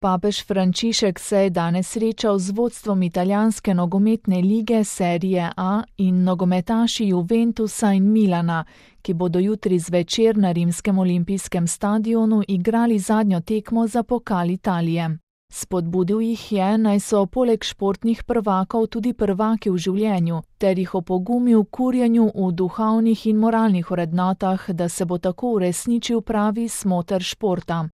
Papež Frančišek se je danes srečal z vodstvom italijanske nogometne lige Serie A in nogometaši Juventusa in Milana, ki bodo jutri zvečer na rimskem olimpijskem stadionu igrali zadnjo tekmo za pokal Italije. Spodbudil jih je, naj so poleg športnih prvakov tudi prvaki v življenju, ter jih opogumil k kurjenju v duhovnih in moralnih vrednotah, da se bo tako uresničil pravi smoter športa.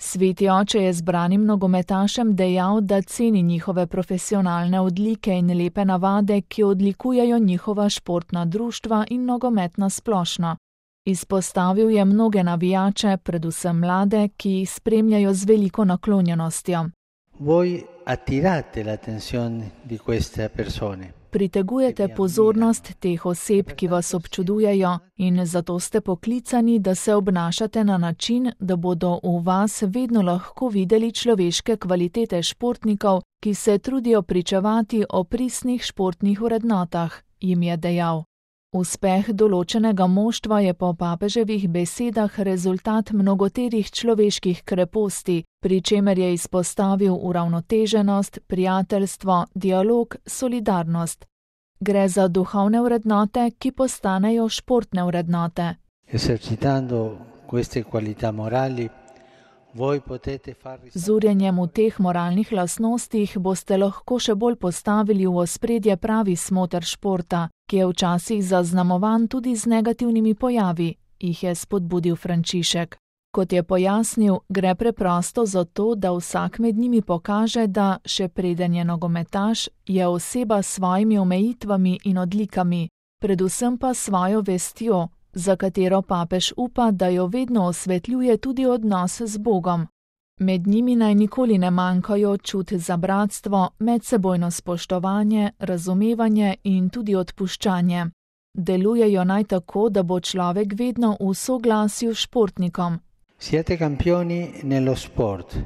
Sveti oče je zbranim nogometašem dejal, da ceni njihove profesionalne odlike in lepe navade, ki odlikujejo njihova športna društva in nogomet na splošno. Izpostavil je mnoge navijače, predvsem mlade, ki jih spremljajo z veliko naklonjenostjo. Voi attirate l'attenzione di queste persone. Pritegujete pozornost teh oseb, ki vas občudujejo, in zato ste poklicani, da se obnašate na način, da bodo v vas vedno lahko videli človeške kvalitete športnikov, ki se trudijo pričevati o pristnih športnih vrednotah, jim je dejal. Uspeh določenega moštva je po papeževih besedah rezultat mnogoterih človeških kreposti, pri čemer je izpostavil uravnoteženost, prijateljstvo, dialog, solidarnost. Gre za duhovne vrednote, ki postanejo športne vrednote. Esercitando queste qualità morali, z urjenjem v teh moralnih lastnostih boste lahko še bolj postavili v ospredje pravi smoter športa, ki je včasih zaznamovan tudi z negativnimi pojavi, jih je spodbudil Frančišek. Kot je pojasnil, gre preprosto za to, da vsak med njimi pokaže, da, še preden je nogometaš, je oseba s svojimi omejitvami in odlikami, predvsem pa svojo vestjo, za katero papež upa, da jo vedno osvetljuje tudi odnos z Bogom. Med njimi naj nikoli ne manjkajo čut za bratstvo, medsebojno spoštovanje, razumevanje in tudi odpuščanje. Delujejo naj tako, da bo človek vedno v soglasju s športnikom. Siete campioni nello sport,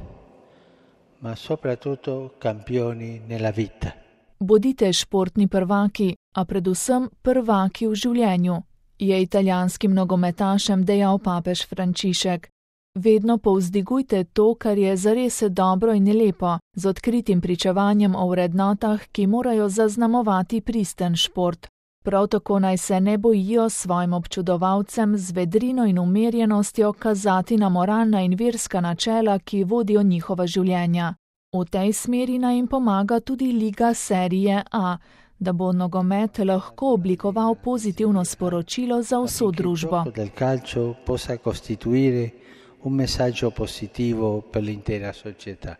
ma soprattutto campioni nella vita. Bodite športni prvaki, a predvsem prvaki v življenju, je italijanskim nogometašem dejal papež Frančišek. Vedno povzdigujte to, kar je zares dobro in lepo, z odkritim pričevanjem o vrednotah, ki morajo zaznamovati pristen šport. Prav tako naj se ne bojijo svojim občudovalcem z vedrino in umirjenostjo kazati na moralna in verska načela, ki vodijo njihova življenja. V tej smeri naj jim pomaga tudi liga Serie A, da bo nogomet lahko oblikoval pozitivno sporočilo za vso družbo. Del calcio possa costituire un messaggio positivo per l'intera società.